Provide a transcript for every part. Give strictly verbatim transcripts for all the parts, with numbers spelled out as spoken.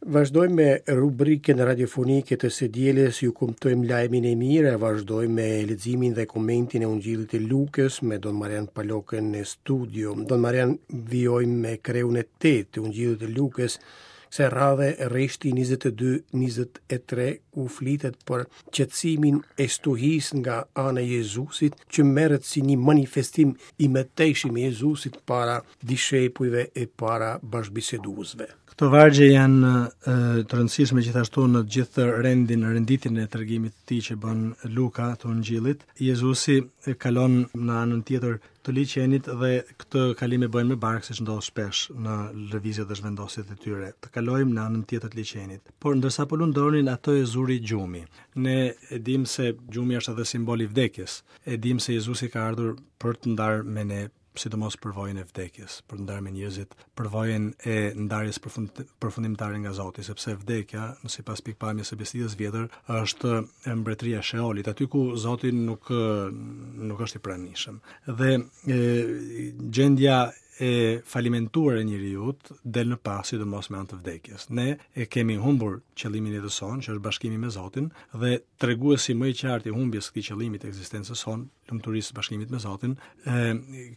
Vazhdojmë me rubrikën radiofonike të së dielës, ju kumtojmë lajmin e mirë, vazhdojmë me leximin dhe komentin e Ungjillit të Lukës me Don Marian Palokën në studio. Don Marian, vijojmë me kreun e tetë të Ungjillit të Lukës, kësaj radhe rreshti njëzet e dy njëzet e tre, ku flitet për qetësimin e stuhisë nga ana e Jezusit, që merret si një manifestim i mëtejshëm i Jezusit para dishepujve e para bashkëbiseduesve. Këto vargje janë, e, të rëndësishme gjithashtu në gjithë rendin, renditjen e tregimit të tij që bën Luka të Ungjillit. Jezusi kalon në anën tjetër të liqenit dhe këtë kalim e bëjnë me barkë, siç ndodh shpesh në lëvizjet dhe zhvendosjet e tyre. Të kalojmë në anën tjetër të liqenit. Por ndërsa po lundronin, ato e zuri gjumi. Ne e dim se gjumi është edhe simbol i vdekjes. E dim se Jezusi ka ardhur për të ndarë me ne sidomos përvojën e vdekjes, për të ndarë me njerëzit përvojën e ndarjes përfund-, përfundimtare nga Zoti, sepse vdekja, në sipas pikpamjes së Besëlidhjes vjetër, është mbretëria e Sheolit, aty ku Zoti nuk, nuk është i pranishëm. Dhe e, gjendja e falimentuar e njeriut del në pah sidomos me anë të vdekjes. Ne e kemi humbur qëllimin e jetës sonë, që është bashkimi me Zotin, dhe treguesi më i qartë i humbjes së këtij qëllimi të ekzistencës sonë, lumturisë së bashkimit me Zotin, e,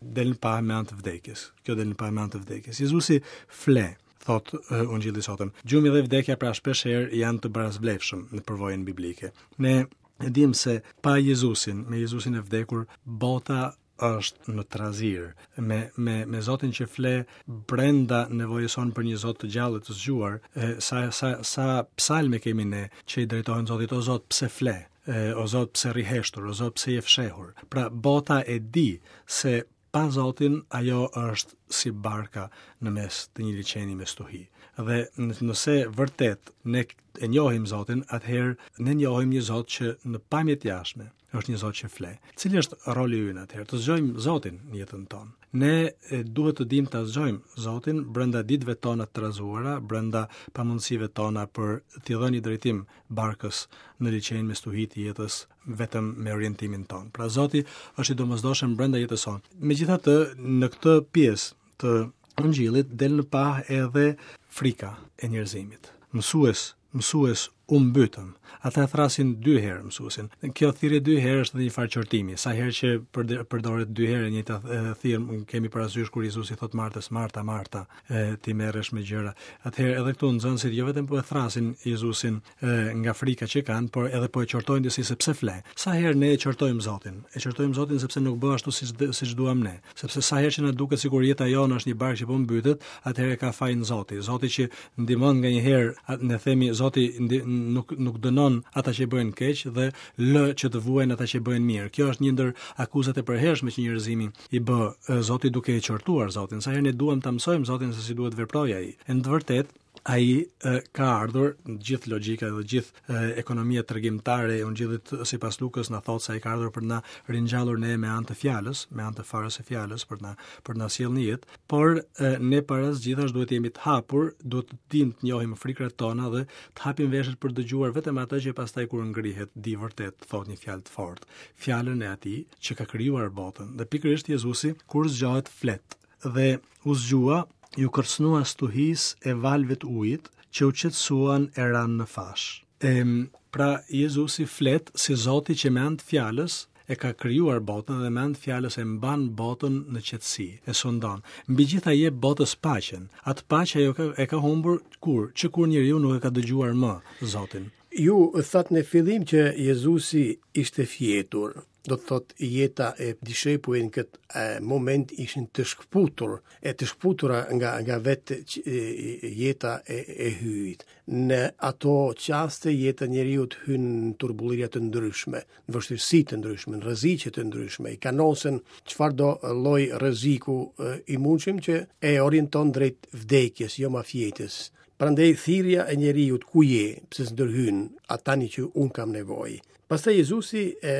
del në pah me anë të vdekjes. Kjo del në pah me anë të vdekjes. Jezusi fle, thot, e, Ungjilli i sotëm. Gjumi dhe vdekja pra shpesh herë janë të barasvlefshëm në përvojën biblike. Ne e dim se pa Jezusin, me Jezusin e vdekur, bota është në trazir, me, me, me Zotin që fle brenda nevojës sonë për një Zot të gjallë të zgjuar, e, sa, sa, sa psalme kemi ne që i drejtohen Zotit, o Zot, pse fle? E, o Zot, pse rri heshtur? O Zot, pse je fshehur? Pra, bota e di se pa Zotin ajo është si barka në mes të një liqeni me stuhi. Dhe n-, nëse vërtet ne e njohim Zotin, atëherë ne njohim një Zot që në pamje të jashtme është një Zot që fle. Cili është roli ynë atëherë? Të zgjojmë Zotin në jetën tonë. Ne, e, duhet të dim ta zgjojmë Zotin brenda ditëve tona të trazuara, brenda pamundësive tona për t'i dhënë një drejtim barkës në liqenin me stuhi të jetës vetëm me orientimin tonë. Pra Zoti është i domosdoshëm brenda jetës sonë. Megjithatë, në këtë pjesë të Ungjillit del në pah edhe frika e njerëzimit. Mësues, mësues, u mbytëm. Ata e thrasin dy herë mësuesin. Kjo thirrje dy herë është edhe një farë qortimi. Sa herë që përde-, përdoret dy herë e njëjta, e, thirrje, kemi parasysh kur Jezusi thot Martës, Marta, Marta, e, ti merresh me gjëra. Atëherë edhe këtu nxënësit jo vetëm po e thrasin Jezusin, e, nga frika që kanë, por edhe po e qortojnë disi se pse fle. Sa herë ne e qortojmë Zotin? E qortojmë Zotin sepse nuk bë ashtu siç d-, siç duam ne. Sepse sa herë që na duket sikur jeta jonë është një barkë që po mbytet, atëherë ka fajin Zoti. Zoti që ndihmon nganjëherë, a-, ne themi Zoti ndi-, nuk, nuk dënon ata që bëjnë keq dhe lë që të vuajnë ata që bëjnë mirë. Kjo është një ndër akuzat e përhershme që njerëzimi i bë, e, Zotit duke e qortuar Zotin. Sa herë ne duam ta mësojmë Zotin se si duhet veprojë ai. E në të vërtetë ai, e, ka ardhur, në gjithë logjika dhe gjithë, e, ekonomia tregimtare e Ungjillit sipas Lukës na thotë se ai ka ardhur për na ringjallur ne me anë të fjalës, me anë të farës së fjalës për na, për na sjellë në jetë, por, e, ne para së gjithash duhet të jemi të hapur, duhet të dimë të njohim frikrat tona dhe të hapim veshët për dëgjuar vetëm atë që pastaj kur ngrihet di vërtet thotë një fjalë të fortë, fjalën e atij që ka krijuar botën. Dhe pikërisht Jezusi kur zgjohet flet dhe u zgjua, ju kërcënua stuhisë e valëve të ujit që u qetësuan e ranë në fash. Em, pra Jezusi flet si Zoti që me anë të fjalës e ka krijuar botën dhe me anë të fjalës e mban botën në qetësi, e sundon. Mbi gjitha jep botës paqen. Atë paqe ajo ka, e ka humbur kur? Që kur njeriu nuk e ka dëgjuar më Zotin. Ju thatë në fillim që Jezusi ishte fjetur. Do të thotë jeta e dishepujve në këtë, e, moment ishin të shkëputur, e të shkëputura nga, nga vetë që, e, e, jeta e, e hyjit. Në ato çaste jeta e njeriut hyn në turbullira të ndryshme, në vështirësi të ndryshme, në rreziqe të ndryshme, i kanosen çfarëdo lloj rreziku, e, i mundshëm që e orienton drejt vdekjes, jo mafjetës. Prandaj thirrja e njeriut ku je, pse s'ndërhyn, a tani që un kam nevojë. Pastaj Jezusi e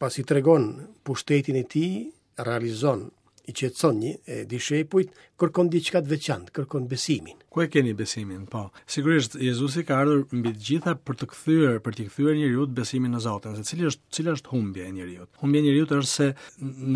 pasi tregon pushtetin e tij, realizon, i qetëson një, e, dishepujt, kërkon diçka të veçantë, kërkon besimin. Ku e keni besimin? Po. Sigurisht Jezusi ka ardhur mbi të gjitha për të kthyer, për t'i kthyer njeriut besimin në Zotin, se cili është, cila është humbja e njeriut. Humbja e njeriut është se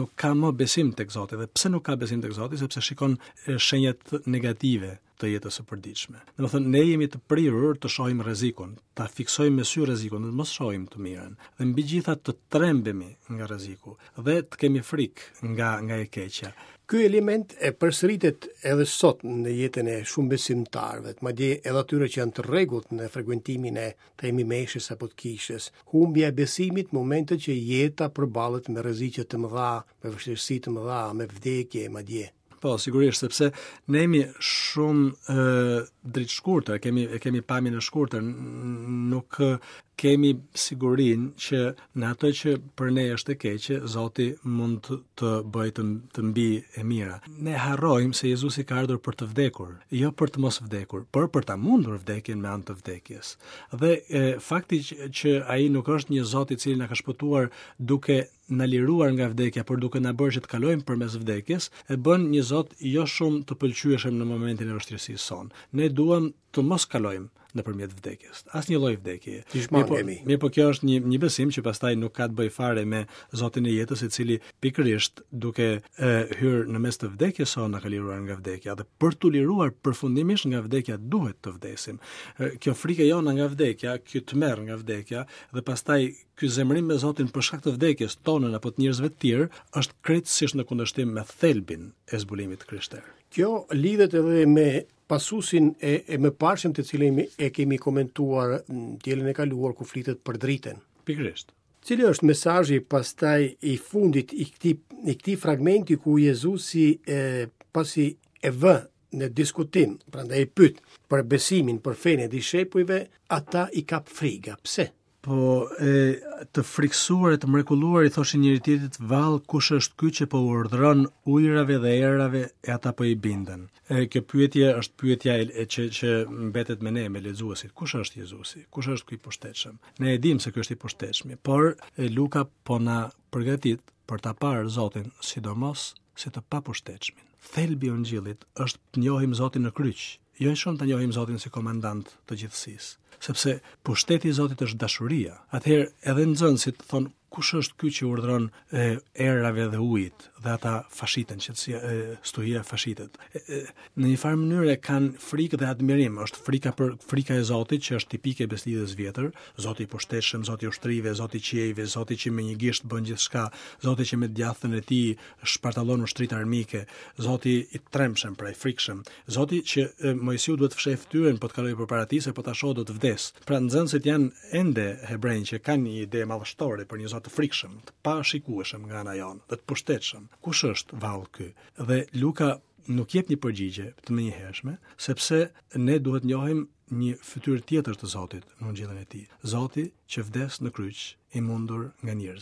nuk ka më besim tek Zoti. Dhe pse nuk ka besim tek Zoti? Sepse shikon, e, shenjat negative të jetës së përditshme. Domethënë ne jemi të prirur të shohim rrezikun, ta fiksojmë me sy rrezikun, dhe të mos shohim të mirën. Dhe mbi gjitha të trembemi nga rreziku dhe të kemi frikë nga nga e keqja. Ky element e përsëritet edhe sot në jetën e shumë besimtarëve, madje edhe atyre që janë të rregullt në frekuentimin e themi meshës apo të kishës. Humbja e besimit në momentet që jeta përballet me rreziqe të mëdha, me vështirësi të mëdha, me vdekje madje. Po, sigurisht, sepse ne jemi shumë e, dritëshkurtër, kemi e kemi pamjen e shkurtër, nuk kemi sigurinë që në ato që për ne është e keqe, Zoti mund të, të bëjë të, të mbi e mira. Ne harrojmë se Jezusi ka ardhur për të vdekur, jo për të mos vdekur, por për ta mundur vdekjen me anë të vdekjes. Dhe e, fakti që, që ai nuk është një Zot i cili na ka shpëtuar duke na liruar nga vdekja, por duke na bërë që të kalojmë përmes vdekjes, e bën një Zot jo shumë të pëlqyeshëm në momentin e vështirësisë sonë. Ne duam të mos kalojmë nëpërmjet vdekjes. Asnjë lloj vdekjeje. Mirë po, mirë po kjo është një një besim që pastaj nuk ka të bëjë fare me Zotin e jetës, i cili pikërisht duke e, hyrë në mes të vdekjes sonë na ka liruar nga vdekja dhe për t'u liruar përfundimisht nga vdekja duhet të vdesim. E, kjo frikë jona nga vdekja, ky tmerr nga vdekja dhe pastaj ky zemërim me Zotin për shkak të vdekjes tonën apo të njerëzve të tjerë është krejtësisht në kundërshtim me thelbin e zbulimit të krishterë. Kjo lidhet edhe me pasusin e, e mëparshëm të cilin e kemi komentuar në dielën e kaluar ku flitet për dritën. Pikërisht. Cili është mesazhi pastaj i fundit i këtij i këtij fragmenti ku Jezusi e, pasi e vë në diskutim, prandaj e pyet për besimin, për fenë e dishepujve, ata i kap friga. Pse? Po e, të friksuar e të mrekulluar i thoshin njëri tjetrit, vallë kush është ky që po u urdhëron ujërave dhe erave e ata po i binden. E, kjo pyetje është pyetja e, e që që mbetet me ne, me lexuesit. Kush është Jezusi? Kush është ky i pushtetshëm? Ne e dimë se ky është i pushtetshmi, por e, Luka po na përgatit për ta parë Zotin, sidomos si të papushtetshmin. Thelbi i Ungjillit është të njohim Zotin në kryq, jo shumë të njohim Zotin si komandant të gjithësisë, sepse pushteti i Zotit është dashuria. Atëherë edhe nxënësit thonë kush është ky që urdhëron e, erave dhe ujit dhe ata fashiten, qetësia e, stuhia fashitet. E, e, në një farë mënyre kanë frikë dhe admirim, është frika për frika e Zotit që është tipike e beslidhjes vjetër, Zoti i pushtetshëm, Zoti i ushtrive, Zoti i qiejve, Zoti që me një gisht bën gjithçka, Zoti që me djathtën e tij shpartallon ushtritë armike, Zoti i trembshëm, pra i frikshëm, Zoti që e, Moisiu duhet të fshehë fytyrën po të kalojë përpara tij se po ta shohë do të vdes. Pra nxënësit janë ende hebrenj që kanë një ide madhështore për një Zot të frikshëm, të pashikueshëm nga ana jonë dhe të pushtetshëm. Kush është vallë ky? Dhe Luka nuk jep një përgjigje të menjëhershme, sepse ne duhet njohim një fytyrë tjetër të Zotit në Ungjillin e tij. Zoti që vdes në kryq i mundur nga njerëzit.